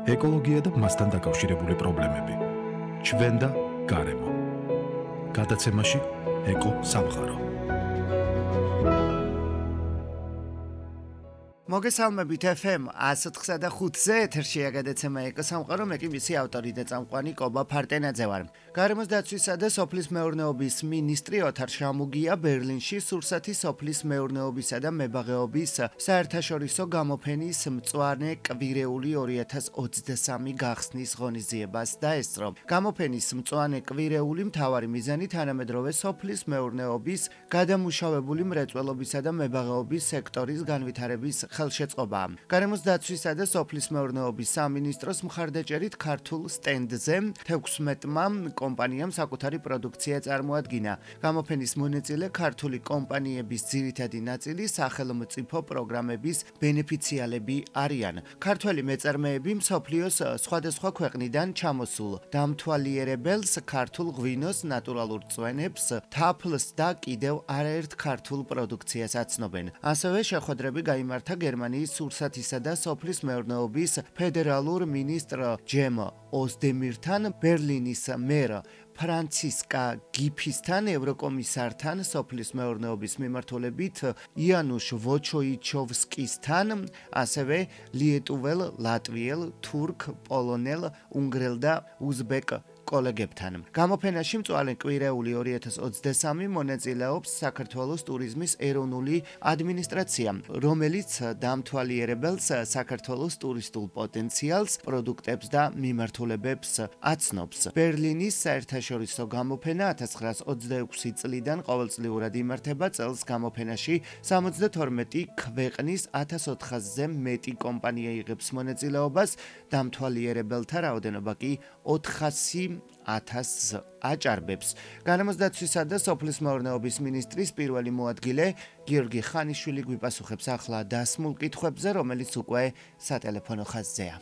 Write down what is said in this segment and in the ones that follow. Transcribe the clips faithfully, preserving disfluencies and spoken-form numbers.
ეკოლოგია და მასთან დაკავშირებული პრობლემები. ჩვენ და გარემო. გადაცემაში ეკო სამყარო. მოგესალმებით ეფ ემ ათს ოთხსა და ხუთზე ეთერშია გადაცემა ეკო სამყარო, მე კი მისი ავტორი და წამყვანი კობა ფარტენაძე ვარ. გარემოს დაცვისა და სოფლის მეურნეობის მინისტრი ოთარ შამუგია ბერლინში სურსათის სოფლის მეურნეობისა და მებაღეობის საერთაშორისო გამოფენის მწვანე კვირეული ორი ათას ოცდასამი გახსნის ღონისძიებას დაესწრო. გამოფენის მწვანე კვირეული მთავარი მიზანი თანამედროვე სოფლის მეურნეობის გადამუშავებული მრეწველობისა და მებაღეობის სექტორის განვითარების ხელშეწყობა. გარემოს დაცვისა და სოფლის მეურნეობის სამინისტროს მხარდაჭერით ქართულ სტენდზე თექვსმეტმა კომპანიამ საკუთარი პროდუქცია წარმოადგინა. გამოფენის მონაწილე ქართული კომპანიების ძირითადი ნაწილი სახელმწიფო პროგრამების ბენეფიციალები არიან. ქართველი მეწარმეები მსოფლიოს სხვადასხვა ქვეყნიდან ჩამოსულ დამთვალიერებელს, ქართულ ღვინოს, ნატურალურ წვენებს, თაფლს და კიდევ არაერთ ქართულ პროდუქციას აცნობენ. ასევე შეხვედრები გაიმართა გერმანიის სურსათისა და სოფლის მეურნეობის ფედერალურ მინისტრ ჯემ ოზდემირთან, ბერლინის მერ ფრანცისკა გიფისთან, ევროკომისართან, სოფლის მეურნეობის მიმართულებით იანუშ ვოჩოიჩოვსკისთან, ასევე ლიეტუველ, ლატვიელ, თურქ, პოლონელ, უნგრელ და უზბეკ კოლეგებთან. გამოფენაში მწვანე კვირეული ორი ათას ოცდასამი მონაწილეობს საქართველოს ტურიზმის ეროვნული ადმინისტრაცია, რომელიც დამთვალიერებელს საქართველოს ტურისტულ პოტენციალს, პროდუქტებს და მიმართულებებს აცნობს. ბერლინის საერთაშორისო გამოფენა ათას ცხრაას ოცდაექვსი წლიდან ყოველწლიურად იმართება. წელს გამოფენაში სამოცდათორმეტი ქვეყნის ათას ოთხასზე მეტი კომპანია იღებს მონაწილეობას, დამთვალიერებელთა რაოდენობა კი ოთხასი ათასს აჭარბებს. გარემოს დაცვისა და სოფლის მეურნეობის მინისტრის პირველი მოადგილე გიორგი ხანიშვილი გვიპასუხებს ახლა დასმულ კითხვებზე, რომელიც უკვე სატელეფონო ხაზზეა.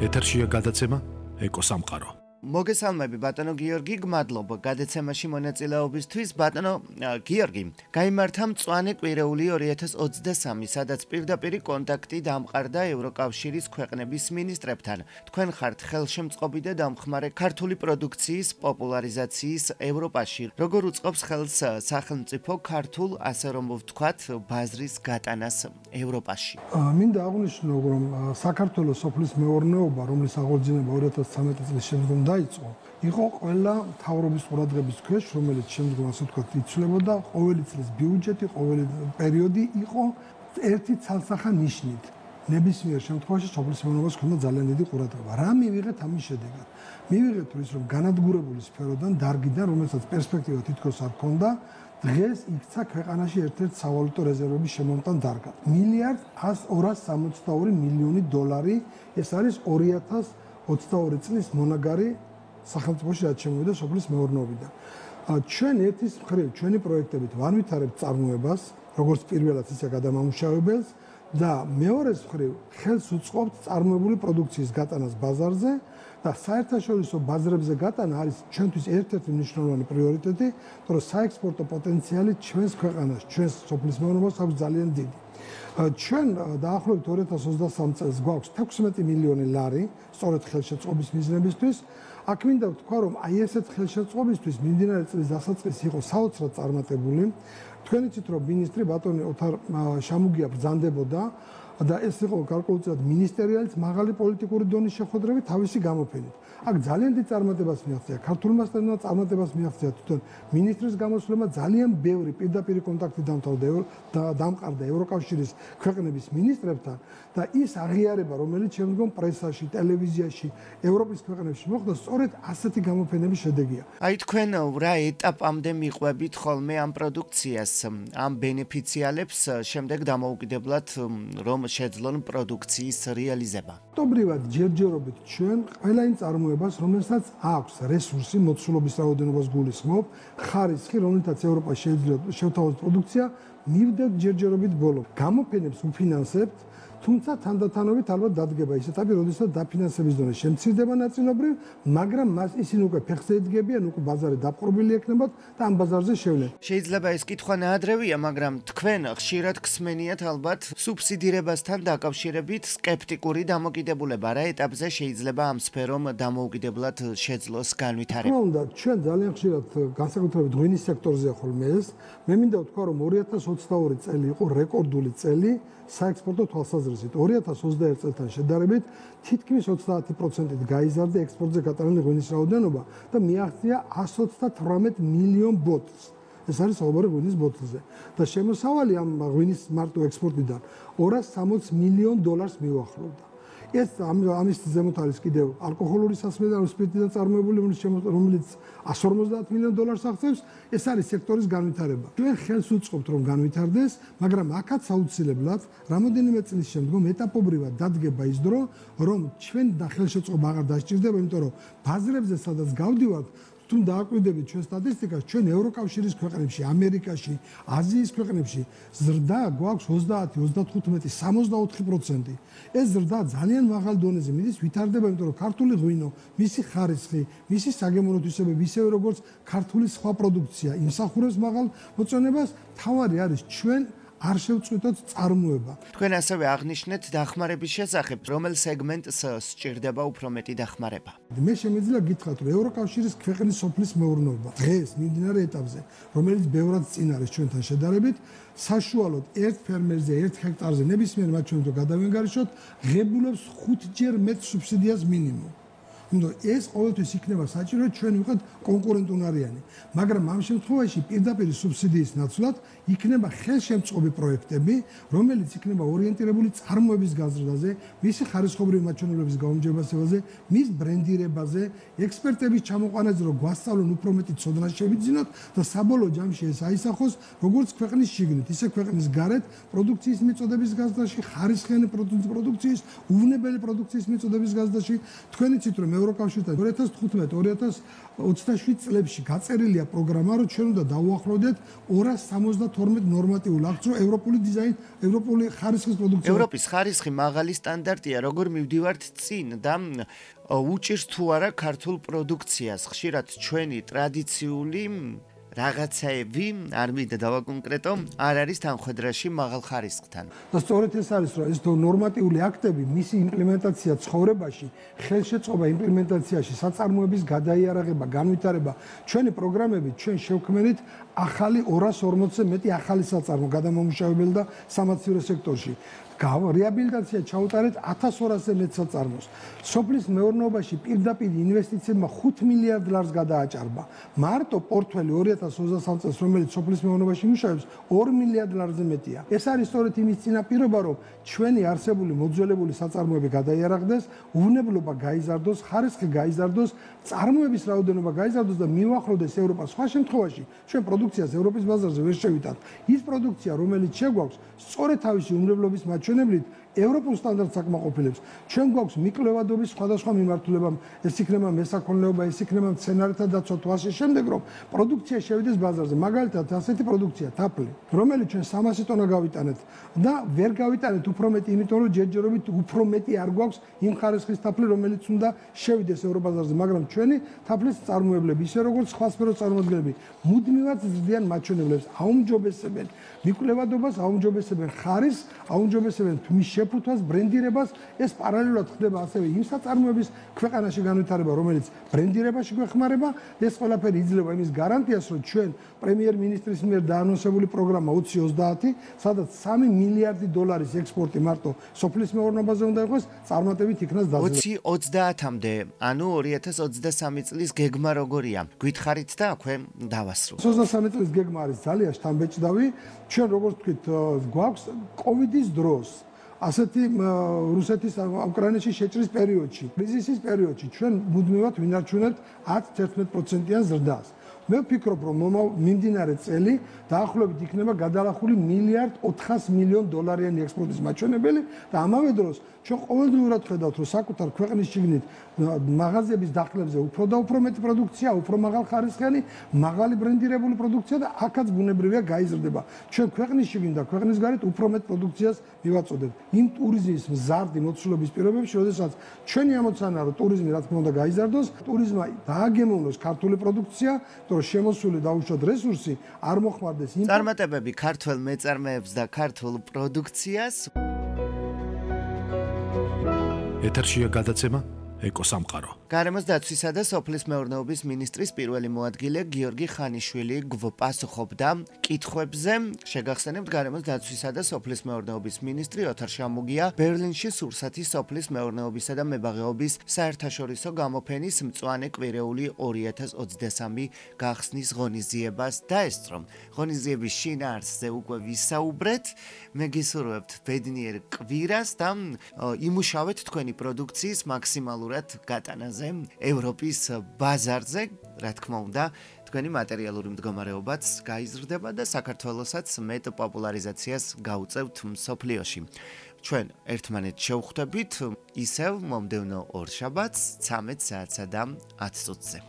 ეთერშია გადაცემა ეკო სამყარო. მოგესალმები ბატონო გიორგი, გმადლობ გადაცემაში მონაწილეობისთვის. ბატონო გიორგი, გაიმართა მწვანე კვირეული ორი ათას ოცდასამი, სადაც პირდაპირ კონტაქტი დამყარდა ევროკავშირის ქვეყნების მინისტრებთან. თქვენ ხართ ხელშემწყობი და დამხმარე ქართული პროდუქციის პოპულარიზაციის ევროპაში. როგორ უწყობს ხელს სახელმწიფო ქართულ, ასე რომ ვთქვათ, ბაზრის გატანას ევროპაში? მინდა აღვნიშნო, რომ საქართველოს სოფლის მეურნეობა, რომლის აღორძინება ორი ათას ცხრამეტი წლის შემდგომ დაიწყო, იყო ყველა მთავრობის ყურადღების ქვეშ, რომელიც შემდგომ ასე ვთქვათ იცვლებოდა. ყოველი წლის ბიუჯეტი, ყოველი პერიოდი იყო ერთი ცალსახა ნიშნით. ნებისმიერ შემთხვევაში სოფლის მეურნეობას ჰქონდა ძალიან დიდი ყურადღება. რა მივიღეთ ამის შედეგად? მივიღეთ ის, რომ განადგურებული სფეროდან, დარგიდან, რომელსაც პერსპექტივა თითქოს არ ჰქონდა, დღეს იქცა ქვეყანაში ერთ-ერთ სავალუტო რეზერვების შემომტან დარგად. მილიარდ ორას სამოცდაორი მილიონი დოლარი, ეს არის ორი ათას ოცდაორი წლის მონაგარი სახელმწიფოში რაც შემოვიდა სოფლის მეურნეობიდან. ჩვენ ერთის მხრივ ჩვენი პროექტებით ვანვითარებთ წარმოებას, როგორც პირველად ისე გადამამუშავებელს და მეორეს მხრივ ხელს უწყობთ წარმოებული პროდუქციის გატანას ბაზარზე და საერთაშორისო ბაზრებზე გატანა არის ჩვენთვის ერთ-ერთი მნიშვნელოვანი პრიორიტეტი, თორემ საექსპორტო პოტენციალი ჩვენს ქვეყანას, ჩვენს სოფლის მეურნეობას აქვს ძალიან დიდი. ჩვენ დაახლოებით ორი ათას ოცდასამ წელს გვაქვს თექვსმეტი მილიონი ლარი სწორედ ხელშეწყობის მიზნებისთვის. აქ მინდა ვთქვა, რომ აი ესეთ ხელშეწყობისთვის მიმდინარე წლის დასაწყისი იყო საოცრად წარმატებული. თქვენ იცით, რომ მინისტრი ბატონი ოთარ შამუგია ბრძანდებოდა და ეს იყო გარკვეულწილად მინისტერიალის მაღალი პოლიტიკური დონის შეხვედრები თავისი გამოფენით. აქ ძალიან დიდ წარმატებას მიაღწია, ქართულმა სტუდენტმა წარმატებას მიაღწია თვითონ მინისტრის გამოსვლება, ძალიან ბევრი პირდაპირ კონტაქტი დამყარდა ევროკავშირის ქვეყნების მინისტრებთან და ის აღიარება, რომელიც შემდგომ პრესაში, ტელევიზიაში, ევროპის ქვეყნებში მოხდა, სწორედ ასეთი გამოფენების შედეგია. აი თქვენ რა ეტაპამდე მიყვებით ხოლმე ამ პროდუქციას, ამ ბენეფიციალებს შემდეგ დამოუკიდებლად რომ შეძლონ პროდუქციის რეალიზება? ფაქტობრივად ჯერჯერობით ჩვენ ყველა იმ წარმოებას, რომელსაც აქვს რესურსი, მოცულობის რაოდენობას გულისხმობ, ხარისხი, რომელთაც ევროპა შეიძლება შევთავაზოთ პროდუქცია, მივდეთ ჯერჯერობით ბოლო. გამოფენებს უფინანსებთ თუმცა თანდათანობით ალბათ დადგება ის ეტაპი, როდესაც დაფინანსების დონე შემცირდება ნაწილობრივ, მაგრამ მას ისინი უკვე ფეხზე ედგებიან, უკვე ბაზარი დაპყრობილი ექნებათ და ამ ბაზარზე შევლენ. შეიძლება ეს კითხვა ნაადრევია, მაგრამ თქვენ ხშირად ხსმენიათ ალბათ სუბსიდირებასთან დაკავშირებით სკეპტიკური დამოკიდებულება. რა ეტაპზე შეიძლება ამ სფერომ დამოუკიდებლად შეძლოს განვითარება? რა უნდა, ჩვენ ძალიან ხშირად განსაკუთრებით ღვინის სექტორზე ხოლმე ეს, მე მინდა ვთქვა, რომ ორი ათას ოცდაორი წელი იყო რეკორდული წელი საექსპორტო თვალსაზრისით. ორი ათას ოცდაერთი წელთან შედარებით თითქმის ოცდაათი პროცენტით გაიზარდა ექსპორტზე გატანილი ღვინის რაოდენობა და მიაღწია εκατს ოცდათვრამეტ მილიონ ბოთლს. ეს არის საუბარი ღვინის ბოთლზე. და შემოსავალი ამ ღვინის მარტო ექსპორტიდან ორას სამოცი მილიონ დოლარს მიუახლოვდა. ეს ამის ზემოთ არის კიდევ ალკოჰოლური სასმელი და სპირტიდან წარმოებული, რომელიც εκατს ორმოცდაათ მილიონ დოლარს აღწევს. ეს არის სექტორის განვითარება. ჩვენ ხელს უწყობთ, რომ განვითარდეს, მაგრამ აქაც აუცილებლად რამოდენიმე წლის შემდგომ ეტაპობრივად დადგება ის დრო, რომ ჩვენ და ხელშეწყობა აღარ დასჭირდება, იმიტომ რომ ბაზრებზე სადაც გავდივართ, თუ დააკვირდებით ჩვენ სტატისტიკას, ჩვენ ევროკავშირის ქვეყნებში, ამერიკაში, აზიის ქვეყნებში ზრდა გვაქვს ოცდაათი, ოცდათხუთმეტი, სამოცდაოთხი პროცენტი. ეს ზრდა ძალიან მაღალ დონეზე მიდის, ვითარდება, იმიტომ რომ ქართული ღვინო, მისი ხარისხი, მისი საგემოვნო თვისებები, ისევე როგორც ქართული სხვა პროდუქცია იმსახურებს მაღალ მოწონებას, თავარი არის ჩვენ არ შევწყვიტოთ წარმოება. თქვენ ასევე აღნიშნეთ დახმარების შესახებ, რომელ სეგმენტს სჭირდება უფრო მეტი დახმარება. მე შემიძლია გითხრათ, რომ ევროკავშირის ქვეყნის სოფლის მეურნეობა დღეს მიმდინარე ეტაპზე, რომელიც ბევრად წინ არის ჩვენთან შედარებით, საშუალოდ ერთ ფერმერზე, ერთ ჰექტარზე ნებისმიერ მაჩვენებელს გადავენგარიშოთ, ღებულობს ხუთჯერ მეტ სუბსიდიას მინიმუმ. უნდა ეს ყოველთვის იქნება საჭირო, ჩვენ ვიყოთ კონკურენტუნარიანი, მაგრამ ამ შემთხვევაში პირდაპირ სუბსიდიის ნაცვლად იქნება ხელშემწყობი პროექტები, რომელიც იქნება ორიენტირებული წარმოების გაზრდაზე, მისი ხარისხობრივი მაჩვენებლების გაუმჯობესებაზე, მის ბრენდირებაზე, ექსპერტების ჩამოყვანაზე, რომ გვასწავლონ უფრო მეტი ცოდნა შევიძინოთ და საბოლოო ჯამში ეს აისახოს როგორც ქვეყნის შიგნით, ისე ქვეყნის გარეთ პროდუქციის მიწოდების გაზრდაში, ხარისხიანი პროდუქციის, უვნებელი პროდუქციის მიწოდების გაზრდაში. თქვენ იცით, რომ ევროკავშირთან ორი ათას თხუთმეტ ორი ათას ოცდაშვიდ წლებში გაწერილია პროგრამა, რომ ჩვენ უნდა დავუახლოვდეთ ორას სამოცდათორმეტ ნორმატიულ აქტს, რომ ევროპული დიზაინ, ევროპული ხარისხის პროდუქცია. ევროპის ხარისხი მაღალი სტანდარტია, როგორ მივდივართ წინ და უჭირს თუ არა ქართულ პროდუქციას. ხშირად ჩვენი ტრადიციული რაღაცაები, არ მინდა დავაკონკრეტო, არ არის თანხვედრაში მაღალ ხარისხთან. და სწორედ ეს არის, რომ ეს ნორმატიული აქტები, მისი იმპლემენტაცია ცხოვრებაში, ხელშეწყობა იმპლემენტაციაში, საწარმოების გადაიარაღება, განვითარება, ჩვენი პროგრამები ჩვენ შევქმნით ახალი ორას ორმოცზე მეტი ახალი საწარმო გადამამუშავებელი და სამაცივრო სექტორში. რეაბილიტაცია ჩაუტარეთ ათას ორასზე მეტ საწარმოს. სოფლის მეურნეობაში პირდაპირ ინვესტიციებმა ხუთ მილიარდ ლარს გადააჭარბა. მარტო პორტფელი ორი ათას ოცდასამ წელს, რომელიც სოფლის მეურნეობაში მუშაობს, ორი მილიარდ ლარზე მეტია. ეს არის სწორედ იმის წინაპირობა, რომ ჩვენი არსებული მოძველებული საწარმოები გადაიარაღდეს, უვნებლობა გაიზარდოს, ხარისხი გაიზარდოს, წარმოების რაოდენობა გაიზარდოს და მივახლოვდეს ევროპას. სხვა შემთხვევაში ჩვენ პროდუქციას ევროპის ბაზარზე ვერ შევიტანთ. ის პროდუქცია, რომელიც შეგვაქვს, სწორედ თავისი უვნებლობის მაჩვენებლით ევროპულ სტანდარტს აკმაყოფილებს. ჩვენ გვაქვს მიკვლევადობის სხვადასხვა მიმართულება, ეს იქნება მესაქონლეობა, ეს იქნება მცენარეთა დაცვა თუ ასე შემდეგ, რომ პროდუქცია შევიდეს ბაზარზე. მაგალითად, ასეთი პროდუქცია, თაფლი, რომელიც ჩვენ სამასი ტონა გავიტანეთ და ვერ გავიტანეთ უფრო მეტი, იმიტომ რომ ჯერჯერობით უფრო მეტი არ გვაქვს იმ ხარისხის თაფლი, რომელიც უნდა შევიდეს ევროპაზარზე, მაგრამ ჩვენი თაფლის წარმოებლები, ისე როგორც სხვა სფეროს წარმოადგენლები, მუდმივად ზრდიან მაჩვენებლებს, აუმჯობესებენ მიკვლევადობას, აუმჯობესებენ ხარისხს, აუმჯობესებენ თმის შეფუთვას, ბრენდირებას. ეს პარალელურად ხდება ასევე იმ საწარმოების ქვეყანაში განვითარება, რომელიც ბრენდირებაში გვეხმარება. ეს ყველაფერი იძლევა იმის გარანტიას, რომ ჩვენ პრემიერ-მინისტრის მიერ დაანონსებული პროგრამა ოცი ოცდაათი, სადაც სამი მილიარდი დოლარის ექსპორტი მარტო სოფლის მეურნეობაზე უნდა იყოს, წარმატებით იქნას დაძლევა. ოცი ოცდაათამდე, ანუ ორი ათას ოცდასამი წლის გეგმა როგორია? გითხარით და აქვე დავასრულოთ. ოცდასამი წლის გეგმა არის ძალიან შთამბეჭდავი. ჩვენ როგორც ვთქვით, გვაქვს კოვიდის დროს ასეთი რუსეთის უკრაინაში შეჭრის პერიოდში, კრიზისის პერიოდში ჩვენ მუდმივად ვინარჩუნებთ ათი-თერთმეტ პროცენტიან ზრდას. მე ვფიქრობ, რომ მიმდინარე წელი დაახლოებით იქნება გადალახული მილიარდ ოთხას მილიონ დოლარიანი ექსპორტის მაჩვენებელი და ამავე დროს ჩვენ ყოველდღიურად ხედავთ, რომ საკუთარ ქვეყნის შიგნით მაღაზიების დახლებზე უფრო და უფრო მეტი პროდუქცია, უფრო მაღალ ხარისხიანი, მაღალი ბრენდირებული პროდუქცია და აქაც ბუნებრივია გაიზრდება. ჩვენ ქვეყნის შიგნით და ქვეყნის გარეთ უფრო მეტ პროდუქციას მივაწოდებთ. იმ ტურიზმის მზარდი მოცულობის პირობებში, როდესაც ჩვენი ამოცანაა, რომ ტურიზმი რა თქმა უნდა გაიზარდოს, ტურიზმმა დააგემოვნოს ქართული პროდუქცია, რომ შემოსული დაუშვათ რესურსი არ მოხმარდეს იმ წარმატებები ქართულ მეწარმეებს და ქართულ პროდუქციას. ეთერშია გადაცემა ეკოსამყარო. გარემოს დაცვისა და სოფლის მეურნეობის მინისტრის პირველი მოადგილე გიორგი ხანიშვილი გვპასუხობდა კითხვებზე. შეგახსენებთ, გარემოს დაცვისა და სოფლის მეურნეობის მინისტრი ოთარ შამუგია ბერლინში სურსათის სოფლის მეურნეობისა და მებაღეობის საერთაშორისო გამოფენის მწვანე კვირეული ორი ათას ოცდასამი გახსნის ღონისძიებას დაესწრო. ღონისძიების შინაარსზე უკვე ვისაუბრეთ. მე გისურვებთ ბედნიერ კვირას და იმუშავეთ თქვენი პროდუქციის მაქსიმალურ გატანაზე ევროპის ბაზარზე, რა თქმა უნდა, თქვენი მატერიალური მდგომარეობაც გაიზრდება და საქართველოსაც მეტ პოპულარიზაციას გაუწევთ მსოფლიოში. ჩვენ ერთმანეთს შევხვდებით ისევ მომდევნო ორშაბათს ცამეტ საათსა და ათ წუთზე.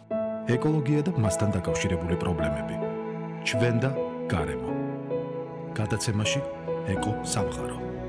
ეკოლოგია და მასთან დაკავშირებული პრობლემები. ჩვენ და გარემო. გადაცემაში ეკო სამყარო.